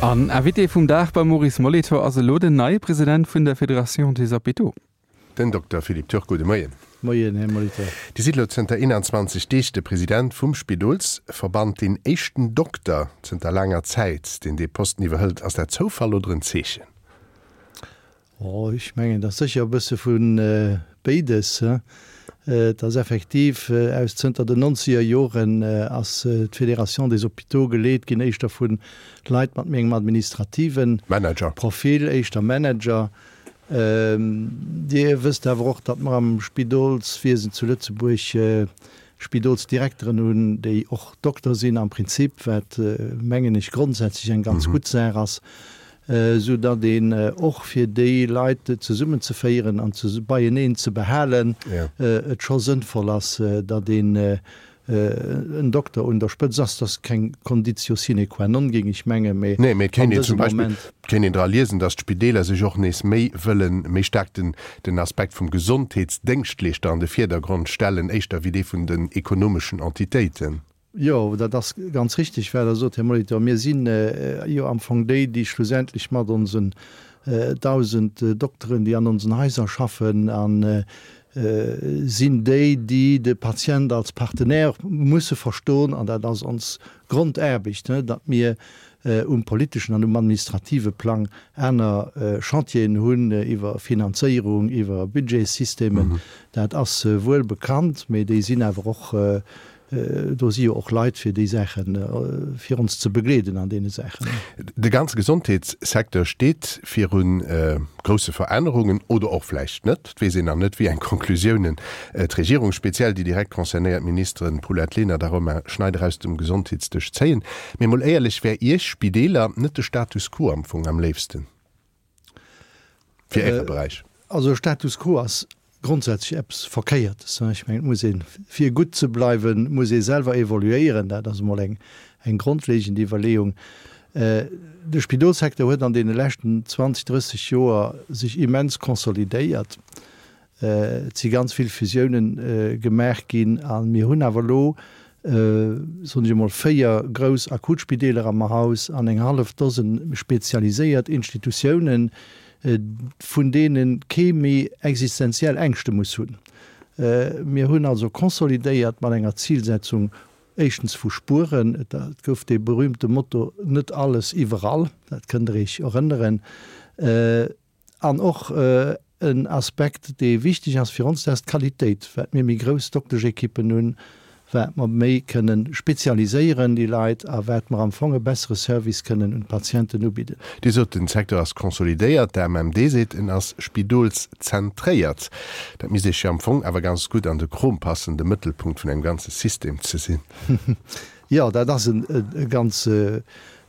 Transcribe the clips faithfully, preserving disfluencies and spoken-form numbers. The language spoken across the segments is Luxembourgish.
An Invité vum Dag beim Maurice Molitor ass elo den neie President vun der Fédération des Hôpitaux. Den Dokter Philippe Turk. Gudde Moien. Moien, Här Molitor. Dir sidd elo zënter eenanzwanzeg Deeg de President vum Spidolsverband, deen éischten Dokter zënter laanger Zäit, deen dee Posten iwwerhëlt. Ass dat Zoufall oder en Zeechen? Oh, ech mengen, et ass sécher e bësse vu béides. Et ass effektiv aus, zënter den nonzeger Joren ass d'Fédération des Hôpitaux geleet ginn éischter vu Leit mat méi engem administrative Manager. Profil, éischter Manager. Dir wësst awer och, datt mer am Spidolswiesen zu Lëtzebuerg Spidolsdirekteren hunn, déi och Dokter sinn am Prinzip, wat, mengen ech, grondsätzlech eng ganz gutt Saach ass, esou datt een och fir déi Leit zesummenzeféieren an beieneen ze behalen, et scho sënnvoll ass, datt een en Dokter un der Spëtz ass. Dat ass keng Conditio sine qua non, géing ech mengen, mee Nee, mee et an kéint een dësem zum Beispill, Moment. et kéint een dra liesen, datt d'Spideeler sech och nees méi wëllen, méi staark den, den Aspekt vum Gesondheetsdéngschtleeschter an de Virdergrond stellen, éischter wéi dee vun den ekonomeschen Entitéiten. Jo, dat ass ganz richtig, wat Der sot, Här Molitor. Mir si jo am Fong déi, déi schlussendlech mat onsen dausend Dokteren, déi an onsen Haiser schaffen, a sinn déi, déi de Patient als Partenaire musse verstoen. An dat ass ons Grondaarbecht, datt mir um politeschen an um administrative Plang aner Chantieren hunn iwwer Finanzéierung, iwwer Budgetssystemen. Dat ass wuel bekannt, mee déi sinn awer och, do si jo och Leit fir déi Saachen, fir ons ze begleeden an deene Saachen. De ganze Gesondheetssecteur steet viru grousse Verännerungen, oder och vläicht net. Et weess een nach net, wéi eng Conclusiounen d'Regierung, speziell déi direkt concernéiert Ministeren Paulette Lenert a Romain Schneider aus dem Gesondheetsdësch zéien. Mee mol éierlech, wär Iech Spideeler net de Status quo am Fong am léifsten fir Äre Beräich? Also Status quo ass grondsätzlech eppes Verkéiertes. Ech mengen, et muss een, fir gutt ze bleiwen, muss ee selwer evoluéieren. Dat ass emol eng, eng grondlegend Iwwerleeung. De Spidolssecteur huet an deene leschten zwanzeg, drësseg Joer sech immens konsolidéiert. Et si ganz vill Fusiounen gemaach ginn a mir hunn awer elo, soen ech emol, véier grouss Akutspideeler am Haus an eng hallef Dosen spezialiséiert Institutiounen, vun deene kee méi existenziell Ängschte muss hunn. Mir hunn also konsolidéiert mat enger Zilsetzung, éischtens vu spueren, et gouf dee berühmte Motto net alles iwwerall, dat kënnt Der Iech erënneren, an och en Aspekt, dee wichteg ass fir ons, dat ass d'Qualitéit. Wat mir méi grouss Dokteschekippen hunn, wat mer méi kënnen spezialiséieren déi Leit a wat mer am Fong e bessere Service kënnen un d'Patienten ubidden. Dir sot, den Secteur ass consolidéiert, de M M D seet, en ass spidolszentréiert. Dat misst Iech jo am Fong awer ganz gutt an de Krom passen, de Mëttelpunkt vun engem ganze System ze sinn. Jo, dat ass e ganz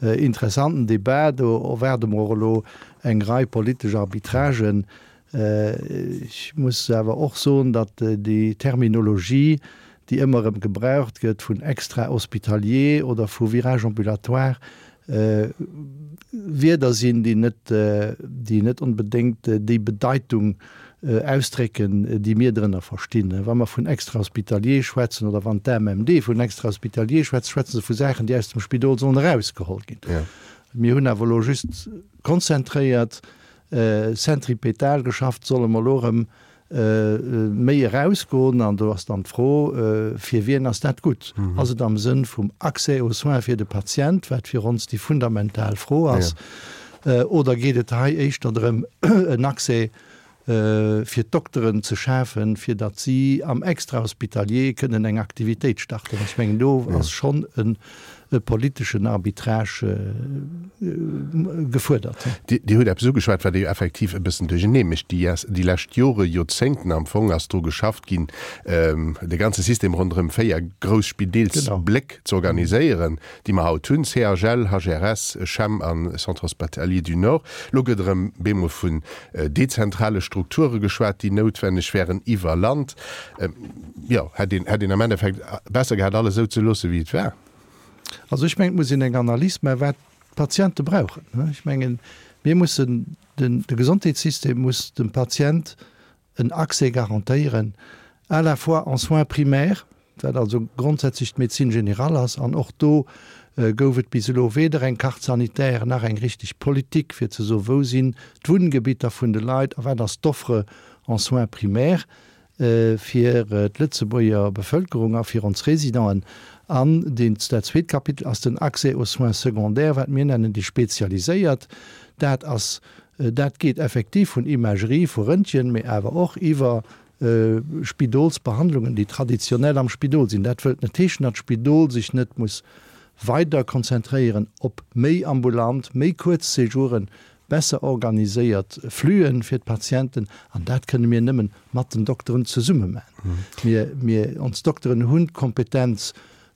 interessanten Debat. Do erwaarde mer och elo eng Rei politesch Arbitragen. Ech muss awer och soen, datt déi Terminologie, déi ëmmer erëm gebraucht gëtt vun extra-hospitalier oder vu Virage ambulatoire, Wierder sinn, déi net, déi net onbedéngt déi Bedeitung ausdrécken, déi mir drënner verstinn. Wa mer vun extra-hospitalier schwätzen oder wann d'A M M D vun extra-hospitalier schwätzt, schwätze se vu Saachen, déi aus dem Spidol sollen erausgeholl ginn. Mir hunn awer elo just konzentréiert, zentripetal geschafft, solle mer elo erëm méi erausgoen? An do ass dann d'Fro, fir wien ass dat gutt? Ass et am Sënn vum Accès aux soins fir de Patient, wat fir ons déi fundamental Fro ass, oder geet et hei éischter drëm, en Accès fir d'Dokteren ze schafen, fir datt si am Extrahospitalier kënnen eng Aktivitéit starten? Ech mengen, do ass schonn e politeschen Arbitrage gefuerdert. Dir hutt eppes ugeschwat, wat jo effektiv e bëssen duerchernee mécht. Déi lescht Jore, Joerzéngten am Fong ass dru geschafft ginn, de ganze System ronderëm véier grouss Spidelsbléck z'organiséieren, déi mer haut hunn, C H L, H R S, CHEM an Centre Hospitalier du Nord. Elo gëtt erëm bemol vun dezentrale Strukture geschwat, déi noutwenneg wären iwwer Land. Jo, hätt een, hätt een am Endeffekt besser gehat, alles esou ze loosse wéi et war? Also ech mengen, et muss een eng Analys maachen, wat d'Patiente brauchen. Ech mengen, mir mussen, den, de Gesondheetssystem muss dem Patient en Accès garantéieren, à la fois en soins primaires, wat also grondsätzlech d'Médecine générale ass, an och do gouf et bis elo weder eng Carte sanitaire nach eng richteg Politik, fir ze soen, wou sinn d'Wunngebitter vun de Leit a wat ass d'Offre en soins primaires fir d'Lëtzebuerger Bevëlkerung a fir ons Résidenten. An deen, dat zweet Kapitel ass den Accès aux soins secondaires, wat mir nennen déi spezialiséiert. Dat ass, dat geet effektiv vun Imagerie, vu Röntgen, mee awer och iwwer Spidolsbehandlungen, déi traditionell am Spidol sinn. Dat wëllt net heeschen, datt d'Spidol sech net muss weider konzentréieren op méi ambulant, méi kuerz Séjouren, besser organiséiert Fluen fir d'Patienten. An dat kënne mir nëmmen mat den Dokteren zesumme maachen. Mir, mir, ons Dokteren hunn d'Kompetenz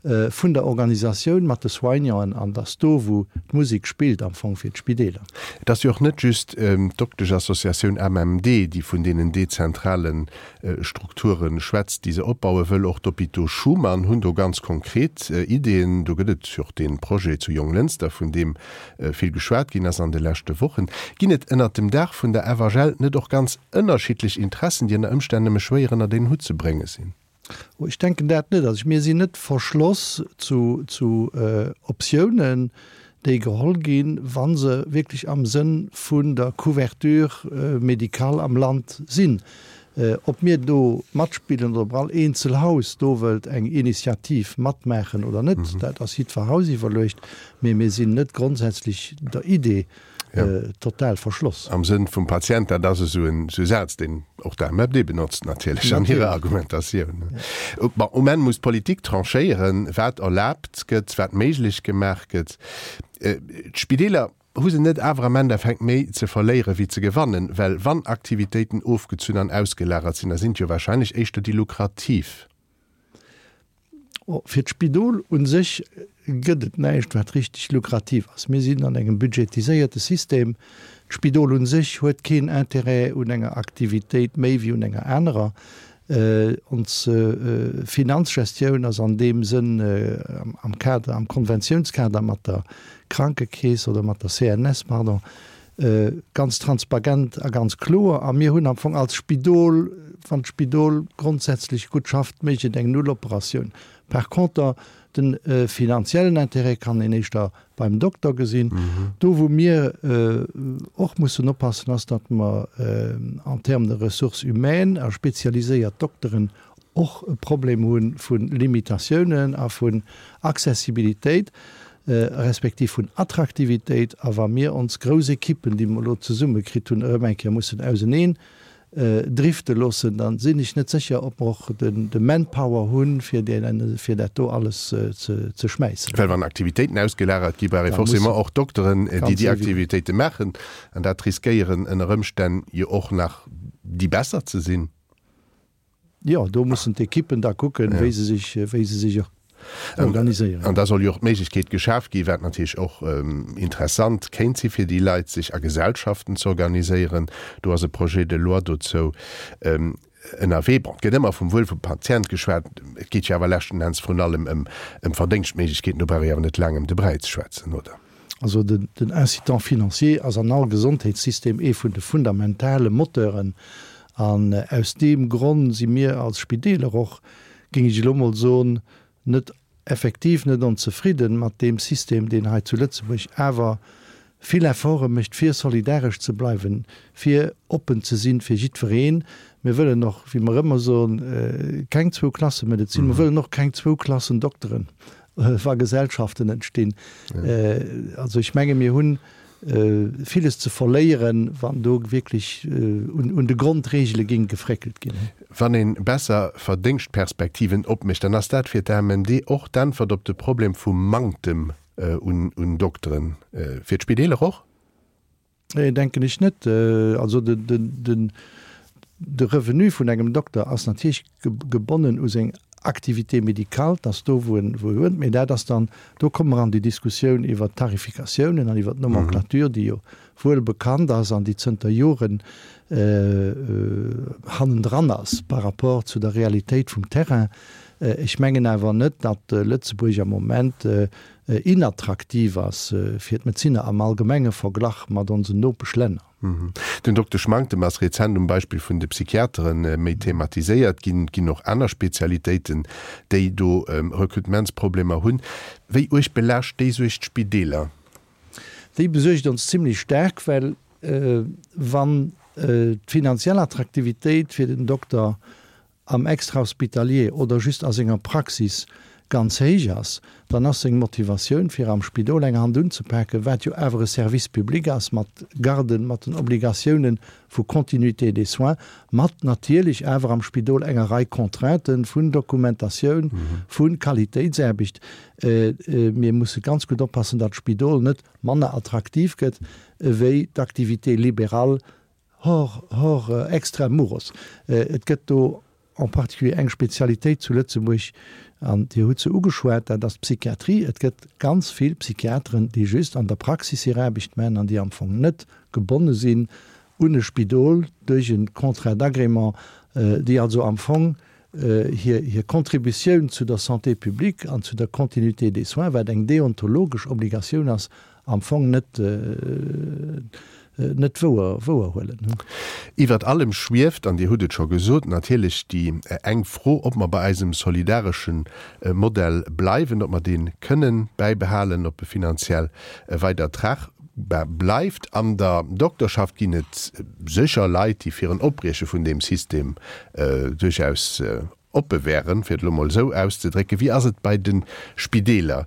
vun der Organisatioun mat de Soignanten an et ass do, wou d'Musek spillt am Fong fir d'Spideeler. Et ass jo och net just d'Dokteschassociatioun A M M D, déi vun deenen dezentrale Strukture schwätzt, déi se opbaue wëll. Och d'Hôpitaux Schuman hunn do ganz konkret Ideeën. Do gëtt et jo och dee Projet zu Jonglënster, vun deem vill geschwat ginn ass an de leschte Wochen. Ginn et ënnert dem Daach vun der F H L net och ganz ënnerschiddlech Interessen, déi ënner Ëmstänn nëmme schwéier ënnert een Hutt ze brénge sinn? Oh, ech denken dat net. Also mir sinn net verschloss zu, zu äh, Optiounen, déi geholl ginn, wann se wierklech am Sënn vun der Couverture äh, médicale am Land sinn. Äh, ob mir do matspillen oder ob all eenzel Haus do wëllt eng Initiativ matmaachen oder net, mhm. dat ass jiddwer Haus iwwerluecht, mee mir sinn net grondsätzlech der Idee ja. äh, total verschloss. Am Sënn vum Patient, dat ass esou en Saz, deen och d'A M M D benotzt natierlech an hirer Argumentatioun. Ja. Um Enn muss d'Politik tranchéieren, wat erlaabt gëtt, wat méiglech gemaach gëtt. Äh, D'Spideeler hu se net awer am Endeffekt méi ze verléiere wéi ze gewannen, well wann Aktivitéiten ofgezunn an ausgelagert sinn, da sinn jo wahrscheinlech éischter déi lukrativ. Oh, fir d'Spidol un sech gëtt et näischt, wat richteg lukrativ ass. Mir sinn an engem budgetiséierte System. D'Spidol un sech huet keen Interêt un enger Aktivitéit méi wéi un enger anerer. Äh, ons äh, Finanzgestioun ass an deem Sënn äh, am Kader, am Konventionskader mat der Krankekeess oder mat der C N S, pardon, äh, ganz transparent a ganz kloer. A mir hunn am Fong als Spidol, wann d'Spidol grondsätzlech gutt schafft, mécht et eng Nulloperatioun. Par conter, den äh, finanziellen Interêt kann een éischter beim Dokter gesinn. Mhm. Do wou mir äh, och mussen oppassen ass, datt mer äh, en termes de ressources humaines a spezialiséiert Dokteren och e Problem hunn vun Limitatiounen a vun Accessibilitéit äh, respektiv vun Attraktivitéit, a wa mir ons grouss Ekippen, déi mer elo zesumme kritt hunn, erëm eng Kéier mussen auseneen äh, drifte loossen, dann sinn ech net sécher, ob mer och den, de Manpower hunn, fir, den, fir dat do alles äh, ze, ze schmäissen. Well wann Aktivitéiten ausgelagert gi brauch forcément och Dokteren, äh, déi déi Aktivitéite maachen, an dat riskéieren ënner Ëmstänn jo och nach déi besser ze sinn. Jo, do mussen d'Ekippen da kucken, ja. wéi se sech, wéi se sech organiséieren. An da soll jo och d'Méiglechkeet geschaf gi wat natierlech och ähm, interessant kéint si fir déi Leit sech a Gesellschaften ze organiséieren. Do ass e Projet de loi dozou ähm, ënnerwee. Bon, gëtt ëmmer vum Wuel vum Patient geschwat, et geet jo awer leschten Enns vrun allem ëm ëm Verdéngschtméiglechkeeten, do brauch ee awer net laang ëm de Bräi ze schwätzen, oder? Also den, den Incitant financier ass an all Gesondheetssystem ee vun de fundamentale Moteuren an äh, aus deem Grond si mir als Spideeler och, géing ech elo mol soen, net effektiv net onzefridden mat deem System, deen hei zu Lëtzebuerg awer vill Efforte mécht fir solidaresch ze bleiwen, fir oppen ze sinn fir jiddwereen. Mir wëllen och, wéi mer ëmmer soen, äh, keng zwou Klasse Medezin, mhm. mir wëllen och keng zwou Klassen Dokteren, äh, wa Gesellschaften entstinn. Ja. Äh, also ech menge mir hunn äh, villes ze verléieren, wann do wierklech äh, un, un de Grondregele géing gefréckelt ginn. Wann een besser Verdéngschtperspektiven opmécht, dann ass dat fir d'A M M D och d'Äntwert op de Problem vum Manktem äh, un, un Dokteren. Äh, fir d'Spideeler och? Nee, denken ech net. Äh, also den, den, den, de Revenu vun engem Dokter ass natierlech gebonnen u seng Activité médicale, dass do wou en wou en mee dat ass dann do komme mer an déi Diskussioun iwwer d'Tarifikatiounen an iwwer d'Nomenclature, déi jo wuel bekannt ass an déi zënter Joren äh, hannendran ass par rapport zu der Realitéit vum Terrain. Ech mengen awer net, datt Lëtzebuerg am Moment inattraktiv ass fir d'Medezinner am allgemenge Verglach mat onsen Nopeschlänner. Den Dokteschmanktem ass rezent um Beispill vun de Psychiatere méi thematiséiert ginn. Et ginn och aner Spezialitéiten, déi do Rekrutementsproblemer hunn. Wéi uerg belaascht déi Suerg d'Spideeler? Déi besuergt ons zimlech staark, well wann d'finanziell Attraktivitéit fir den Dokter am Extrahospitalier oder just a senger Praxis ganz héich ass, dann ass seng Motivatioun fir am Spidol eng Hand unzepaken, wat jo awer e Service public ass mat Garden, mat den Obligatiounen vu Continuité des soins, mat natierlech awer am Spidol enger Rei Contrainten vun Dokumentatioun, vu Qualitéitsaarbecht. Mir musse ganz gutt oppassen, datt d'Spidol net manner attraktiv gëtt wéi d'Activité libérale hors, hors extra muros. Et gëtt do en particulier eng Spezialitéit zu Lëtzebuerg, an Dir hutt se ugeschwat, dat ass d'Psychiatrie. Et gëtt ganz vill Psychiateren, déi just an der Praxis hir Aarbecht maachen an déi am Fong net gebonne sinn un e Spidol duerch e Contrat d'agrément, déi also am Fong hir, hir Contributioun zu der Santé publique an zu der Continuité des soins, wat eng deontologesch Obligatioun ass, am Fong net, net wouer, wouerhuelen. Iwwert allem schwieft, an Dir hutt et scho gesot, natierlech déi eng Fro, ob mer bei eisem solidaresche Modell bleiwen, ob mer dee kënnen bäibehalen, ob e finanziell weider tragbar bleift. An der Dokterschaft ginn et sécher Leit, déi fir en Opbrieche vun deem System duerchaus oppe wären, fir et elo mol esou auszedrécken. Wéi ass et bei de Spideeler?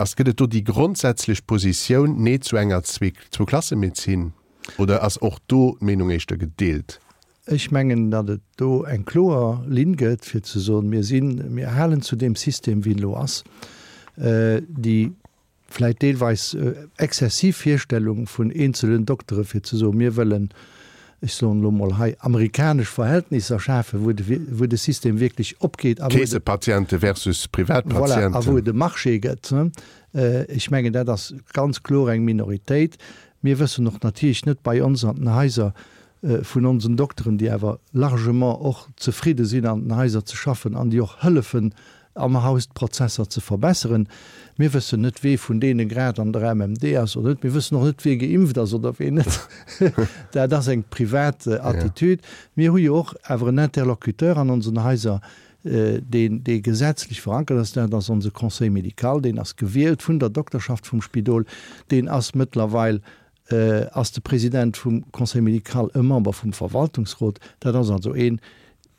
Ass, gëtt et do déi grondsätzlech Positioun Nee zu enger Zwou-Klasse-Medezin oder ass och do d'Meenung éischter gedeelt? Ech mengen, datt et do eng kloer Linn gëtt, fir ze soen, mir sinn, mir halen zu deem System, wéi en elo ass. Déi vläicht deelweis exzessiv Virstellung vun eenzelen Doktere fir ze soen, mir wëllen, ech soen elo mol hei, amerikanesch Verhältnisser schafen, wou de, wou de System wierklech opgeet a wou et. Keesepatiente versus Privatpatienten. Voilà, a wou et e Marché gëtt. Ech mengen, dat ass ganz kloer eng Minoritéit. Mir wëssen och natierlech net bei ons an den Haiser vun onsen Dokteren, déi awer largement och zefridde sinn an den Haiser ze schaffen an déi och hëllefen am Haus d'Prozesser ze verbesseren. Mir wëssen net, wee vun deene grad an der M M D ass oder net. Mir wëssen och net, wee geimpft ass oder wee net. Dat ass eng privat Attitüd. Mir hu jo och awer en Interlocuteur an onsen Haiser, deen, dee gesetzlech verankert ass. Dat ass onse Conseil médical. Deen ass gewielt vun der Dokterschaft vum Spidol. Deen ass mëttlerweil ass de President vum Conseil médical e Member vum Verwaltungsrot. Dat ass also een,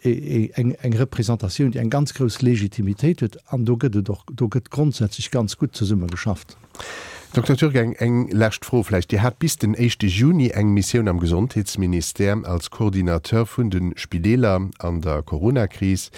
eng, eng Representatioun, déi eng ganz grouss Legitimitéit huet. An do gëtt et och, do gëtt grondsätzlech ganz gutt zesumme geschafft. Dokter Türk, eng, eng lescht Fro vläicht. Dir hat bis den éischte Juni eng Missioun am Gesondheetsministère als Coordinateur vun de Spideeler an der Coronakris.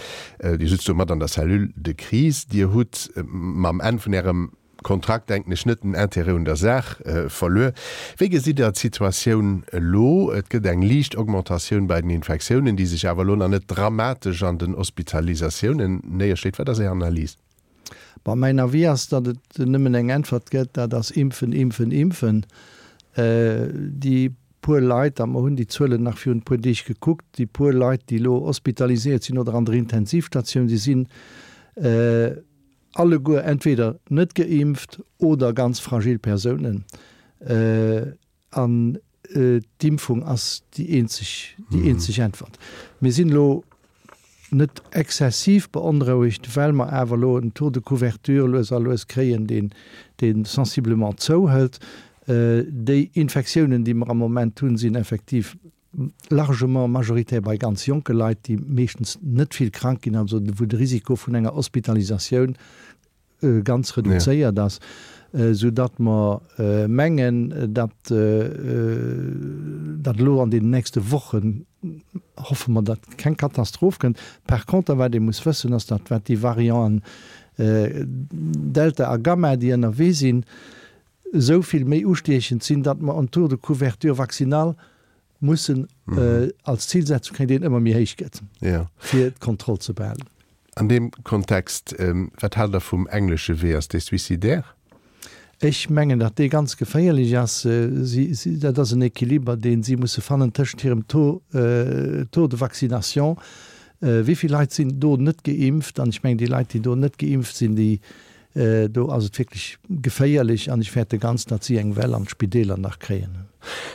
Dir sutzt do mat an der Cellule de crise. Dir hutt mam Enn vun Ärem Kontrakt, denken ech, net den Intérêt un der Saach verluer. Wéi gesitt Der d'Situatioun elo? Et gëtt eng liicht Augmentatioun bei den Infektiounen, déi sech awer elo nach net dramatesch an den Hospitalisatiounen néierschléit. Wat ass Är Analys? Bon, mäin Avis ass, datt et nëmmen eng Äntwert gëtt, dat ass impfen, impfen, impfen. Déi puer Leit, a mer hunn déi Zuelen nach virun e puer Deeg gekuckt, déi puer Leit, déi elo hospitaliséiert sinn oder an der Intensivstatioun si sinn, alleguer entweder net geimpft oder ganz fragil Persounen. An d'Impfung ass déi eenzeg, déi eenzeg Äntwert. Mir sinn elo net exzessiv beonrouegt, well mer awer elo en Taux de couverture lues a lues kréien, deen, dee sensiblement zouhëlt. Déi Infektiounen, déi mer am Moment hunn, sinn effektiv largement majoritaire bei ganz jonke Leit, déi meeschtens net vill krank ginn, also wou de Risiko vun enger Hospitalisatioun ganz reduzéiert ass, soudatt mer mengen, datt datt elo an deenen nächste Wochen, hoffe mer, datt keng Katastroph kënnt. Par conter, wat ee muss wëssen, ass, datt wat déi Varianten Delta a Gamma, déi ënnerwee sinn, esou vill méi ustiechend sinn, datt mer en Taux de couverture vaccinale mussen als Zilsetzung kréien, deen ëmmer méi héich gëtt, fir d'Kontroll ze behalen. An deem Kontext, wat haalt Der vum englesche Wee? Ass dee suicidaire? Ech mengen, datt dee ganz geféierlech ass. Si, si, dat ass en Equiliber, dee si musse fannen tëschent hirem Taux, Taux de vaccination, Wéi vill Leit sinn do net geimpft? An ech mengen, déi Leit, déi do net geimpft sinn, déi, do ass et wierklech geféierlech an ech fäerte ganz, datt si eng Well an d'Spideeler nach kréien.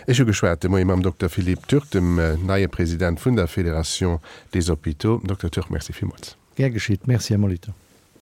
Ech hu geschwat de Moie mam Dokter Philippe Turk, dem neie President vun der Fédération des Hôpitaux. Dokter Turk, Merci villmools. Gär geschitt. Merci, Här Molitor.